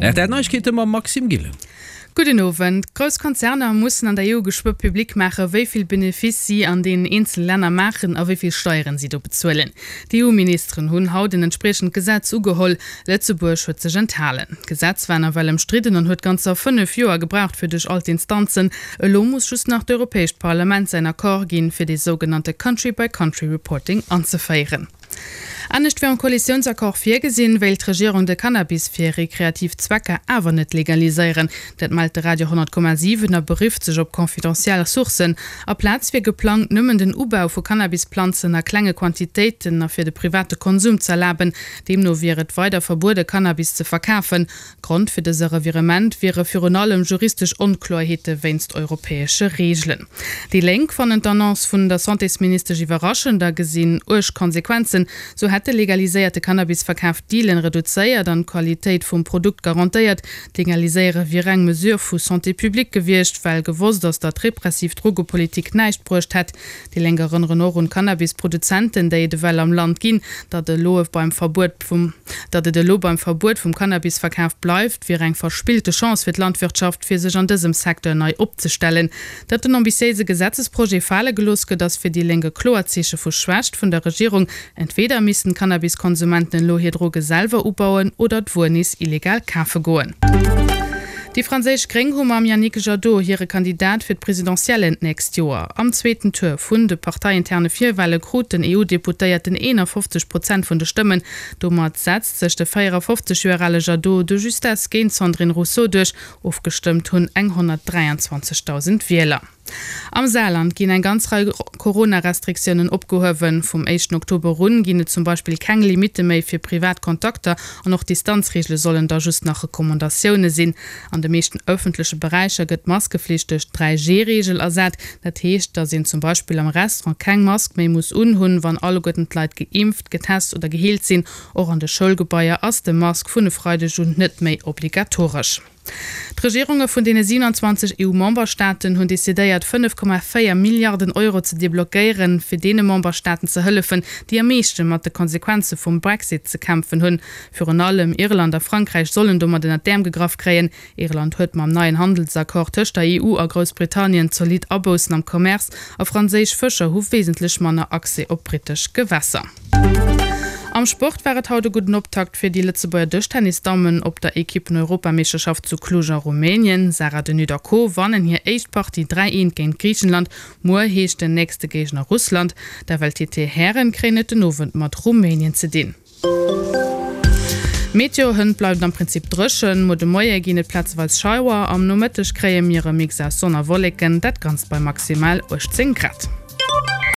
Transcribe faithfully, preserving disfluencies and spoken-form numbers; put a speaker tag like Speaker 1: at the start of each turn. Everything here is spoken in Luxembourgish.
Speaker 1: R T L Neiegkeete mam Maxime Gillen.
Speaker 2: Gudden Owend. Grouss Konzerner mussen an der E U geschwë public maachen, wéi vill Benefice si an deenen eenzele Länner maachen a wéi vill Steieren si do bezuelen. D'E U-Ministeren hunn haut en entspriechend Gesetz ugeholl. Lëtzebuerg huet sech enthalen. D'Gesetz war nawell ëmstridden an huet ganzer fënnef Joer gebraucht fir duerch all d'Instanzen. Elo muss just nach d'Europäescht Parlament säin Accord ginn, fir dee sougenannte Country-by-Country Reporting anzeféieren. Anescht wéi am Koalitiounsaccord virgesinn, wéilt d'Regierung de Cannabis fir rekreativ Zwecker awer net legaliséieren. Dat mellt de Radio honnert Komma siwen a berifft sech op confidentiel Sourcen. Aplaz wier geplangt, nëmmen den Ubau vu Cannabisplanzen a klenge Quantitéiten a fir de private Konsum z'erlaben. Deemno wier et weider verbuede Cannabis ze verkafen. Grond fir dëse Revirement wiere virun allem juristesch Onkloerheete wéinst europäesche Reegelen. Déi Lénk fannen d'Annonce vun der Santésministesch iwwerraschend a gesinn uerg Konsequenzen. Sou hätt de legaliséierte Cannabisverkaf d'Dealen reduzéiert an d'Qualitéit vum Produkt garantéiert. D'Legaliséiere wier eng Mesure vu Santé publique gewiescht, well gewosst ass, datt repressiv Drogepolitik näischt bruecht hätt. Déi Lénk erënneren och un d'Cannabisproduzenten, déi et ewell am Land ginn. Datt elo beim Verbuet vum Datt et elo beim Verbuet vum Cannabisverkaf bleift, wier eng verspillte Chance fir d'Landwirtschaft, fir sech an dësem Secteur nei opzestellen. Datt den ambitiéise Gesetzesprojet fale gelooss gëtt, ass fir déi Lénk e kloert Zeeche vu Schwächt vun der Regierung. Entweder missten d'Cannabiskonsumenten elo hir Droge selwer ubauen oder d'Wuer nees illegal kafe goen. Déi franséisch Gréng hu mam Yannick Jadot hire Kandidat fir d'Presidentiellen d'nächst Joer. Am zweeten Tour vun de parteiinterne Virwale krut den E U-Deputéierten eenafofzeg Prozent vun de Stëmmen. Domat setzt sech de véierafofzeg Joer ale Jadot de justesse géint d'Sandrine Rousseau duerch. Ofgestëmmt hunn eng honnertdräianzwanzegdausend Wieler. Am Saarland ginn eng ganz Rei Corona-Restriktiounen opgehuewen. Vum éischten Oktober un ginn et zum Beispill keng Limitte méi fir privat Kontakter an och d'Distanzreegele sollen da just nach Recommandatioune sinn. An de meeschten ëffentleche Beräicher gëtt d'Maskeflicht duerch d'Dräi-G-Reegel ersat. Dat heescht, datt een zum Beispill am Restaurant keng Mask méi muss unhunn, wann alleguerten d'Leit geimpft, getest oder geheelt sinn. Och an de Schoulgebaier ass de Mask vun e Freideg un net méi obligatoresch. D'Regierunge vun deene siewenanzwanzeg E U-Memberstaaten hunn decidéiert, fënnef Komma véier Milliarden Euro ze deblockéieren, fir deene Memberstaaten ze hëllefen, déi am meeschte mat de Konsequenze vum Brexit ze kämpfen hunn. Virun allem Irland a Frankräich sollen domat ënnert d'Äerm gegraff kréien. Irland huet mam neien Handelsaccord tëscht der E U a Groussbritannien zolidd Aboussen am Commerce a franséisch Fëscher hu wesentlech manner Accès op brittesch Gewässer. Am Sport war et haut e gudden Optakt fir déi Lëtzebuerger Dëschtennis-Dammen op der Ekippen-Europameeschterschaft zu Cluj a Rumänien. Sarah De Nutte a Co wannen hir éischt Partie dräi eent géint Griichenland. Muer heescht den nächste Géigner Russland. D'F L T T-Hären kréien et den Owend mat Rumänien ze dinn. Meteo, Hënt bleift et am Prinzip dréchen, muer de Moie ginn et plazeweis Schauer, am Nomëtteg kréie mir e Mix aus Sonn a Wolleken, dat Ganzt bei maximal uechtzéng Grad.